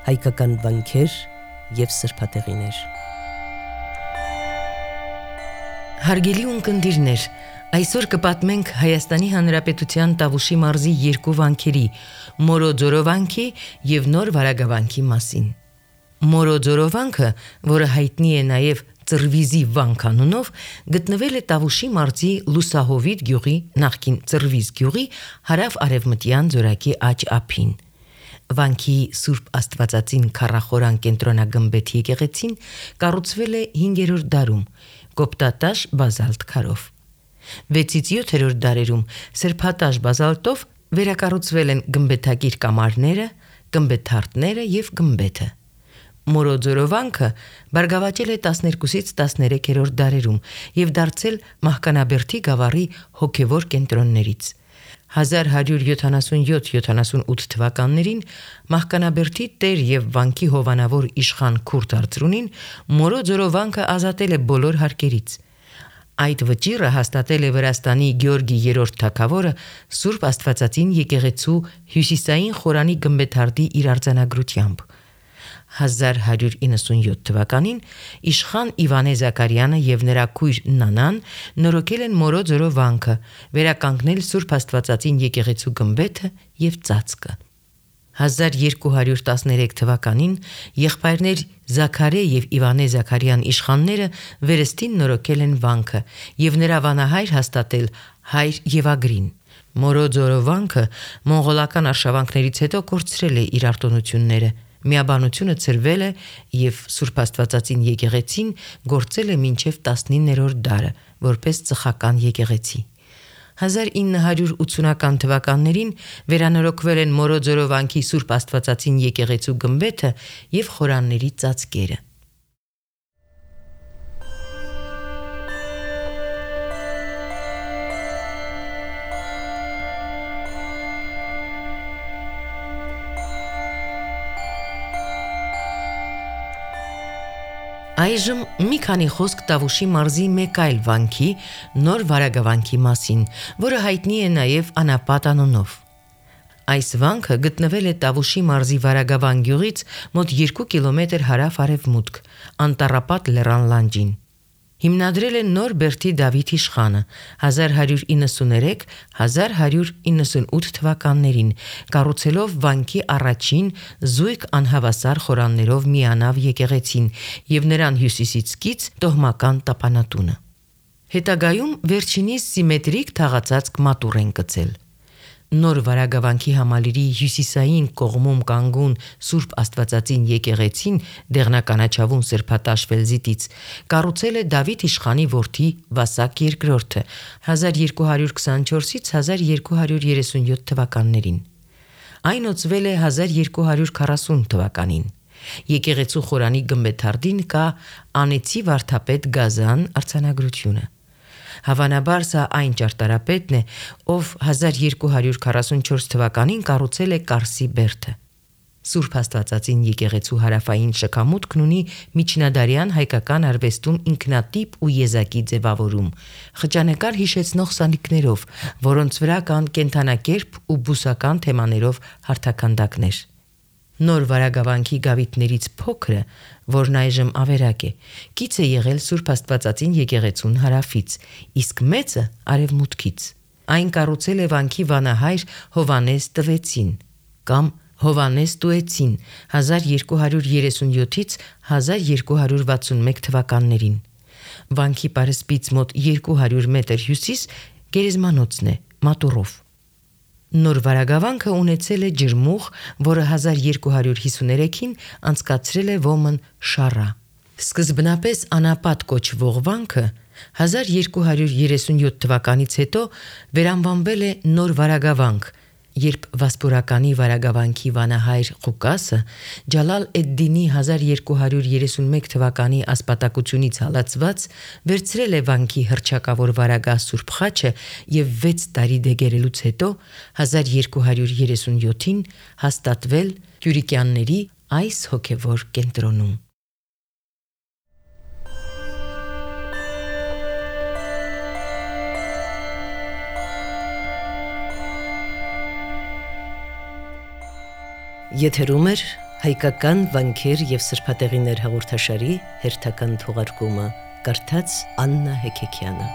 հայկական վանքեր և սրբատեղիներ։ Հարգելի ունկնդիրներ, այսօր կպատմենք Հայաստանի Հանրապետության Տավուշի մարզի երկու վանքերի՝ Մորոձորո վանքի և Նոր Վարագավանքի մասին։ Մորոձորո վանքը, որը հայտնի է նաև Ծռվիզի վանք անունով, գտնվել է Տավուշի մարզի Լուսահովիտ գյուղի, նախկին Ծռվիզ գյուղի հարավ-արևմտյան ձորակի աջ ափին։ Վանքի Սուրբ Աստվածածին քառախորան կենտրոնագմբեթ եկեղեցին կառուցվել է 5-րդ դարում կոպտատաշ բազալտ քարով։ 6-ից 7-րդ դարերում սրբատաշ բազալտով վերակառուցվել են գմբեթակիր կամարները, գմբեթարդները և գմբեթը։ Մորոձորո վանքը բարգավաճել է 12-ից 13-րդ դարերում և դարձել Մահկանաբերդի գավառի հոգևոր կենտրոններից։ 1177-78 թվականներին Մահկանաբերդի տեր և վանքի հովանավոր իշխան Քուրդ Արծրունին Մորոձորո վանքը ազատել է բոլոր հարկերից։ Այդ վճիռը հաստատել է Վրաստանի Գեորգի 3-րդ թագավորը Սուրբ Աստվածածին եկեղեցու հյուսիսային խորանի գմբեթարդի իր արձանագրությամբ։ 1197 թվականին իշխան Իվանե Զաքարյանը և նրա քույր Նանան նորոգել են Մորոձորո վանքը, վերականգնել Սուրբ Աստվածածին եկեղեցու գմբեթը և ծածկը։ 1213 թվականին եղբայրներ Զաքարե և Իվանե Զաքարյան իշխանները վերստին նորոգել են վանքը և նրա վանահայր հաստատել հայր Եվագրին։ Մորոձորո վանքը մոնղոլական արշավանքներից հետո կորցրել է իր արտոնությունները։ Միաբանությունը ցրվել է և Սուրբ Աստվածածին եկեղեցին գործել է մինչև 19-րդ դարը որպես ծխական եկեղեցի։ 1980-ական թվականներին վերանորոգվել են Մորոձորո վանքի Սուրբ Աստվածածին եկեղեցու գմբեթը և խորանների ծածկերը։ Այժմ մի քանի խոսք Տավուշի մարզի մեկ այլ վանքի՝ Նոր Վարագավանքի մասին, որը հայտնի է նաև Անապատ անունով։ Այս վանքը գտնվել է Տավուշի մարզի Վարագավան գյուղից մոտ 2 կիլոմետր հարավ-արևմուտք, Անտառապատ լեռան լանջին։ Հիմնադրել է Նոր Բերդի Դավիթ իշխանը 1193-1198 թվականներին, կառուցելով վանքի առաջին զույգ անհավասար խորաններով միանավ եկեղեցին և նրան հյուսիսից կից տոհմական տապանատունը։ Հետագայում վերջինիս սիմետրիկ թաղածածկ մատուռ են կցել։ Նոր Վարագավանքի համալիրի հյուսիսային կողմում կանգուն Սուրբ Աստվածածին եկեղեցին դեղնականաչավուն սրբատաշ ֆելզիտից կառուցել է Դավիթ իշխանի որդի Վասակ II 1224-1237 թվականներին։ Այն օծվել է 1240 թվականին։ Եկեղեցու խորանի գմբեթարդին կա Անեցի վարդապետ Գազան արձանագրությունը։ Հավանաբար սա այն ճարտարապետն է, ով 1244 թվականին կառուցել է Կարսի բերդը։ Սուրբ Աստվածածին եկեղեցու հարավային շքամուտքն ունի միջնադարյան հայկական արվեստում ինքնատիպ ու եզակի ձևավորում՝ խճանկար հիշեցնող սալիկներով, որոնց վրա կան կենդանակերպ ու բուսական թեմաներով հարթաքանդակներ։ Նոր Վարագավանքի գավիթներից փոքրը, որն այժմ ավերակ է, կից է եղել Սուրբ Աստվածածին եկեղեցուն հարավից, իսկ մեծը արևմուտքից։ Այն կառուցել է վանքի վանահայր Հովանես Տվեցին կամ Հովանես Տուեցին 1237-1261 թվականներին։ Վանքի պարսպից մոտ 200 մետր հյուսիս գերեզմանոցն է մատուռով։ Նոր Վարագավանքը ունեցել է ջրմուղ, որը 1253-ին անցկացրել է ոմն Շառա։ Սկզբնապես Անապատ կոչվող վանքը 1237 թվականից հետո վերանվանվել է Նոր Վարագավանք, երբ Վասպուրականի Վարագավանքի վանահայր Ղուկասը Ջալալ էդ-Դինի 1231 թվականի ասպատակությունից հալածված վերցրել է վանքի հռչակավոր վարագահ Սուրբ խաչը և 6 տարի դեգերելուց հետո 1237-ին հաստատվել Կյուրիկյանների այս հոգևոր կենտրոնում։ Եթերում է Հայկական վանքեր եւ սրբատեղիներ հաղորդաշարի հերթական թողարկումը կարդաց Աննա Հեքեքյանը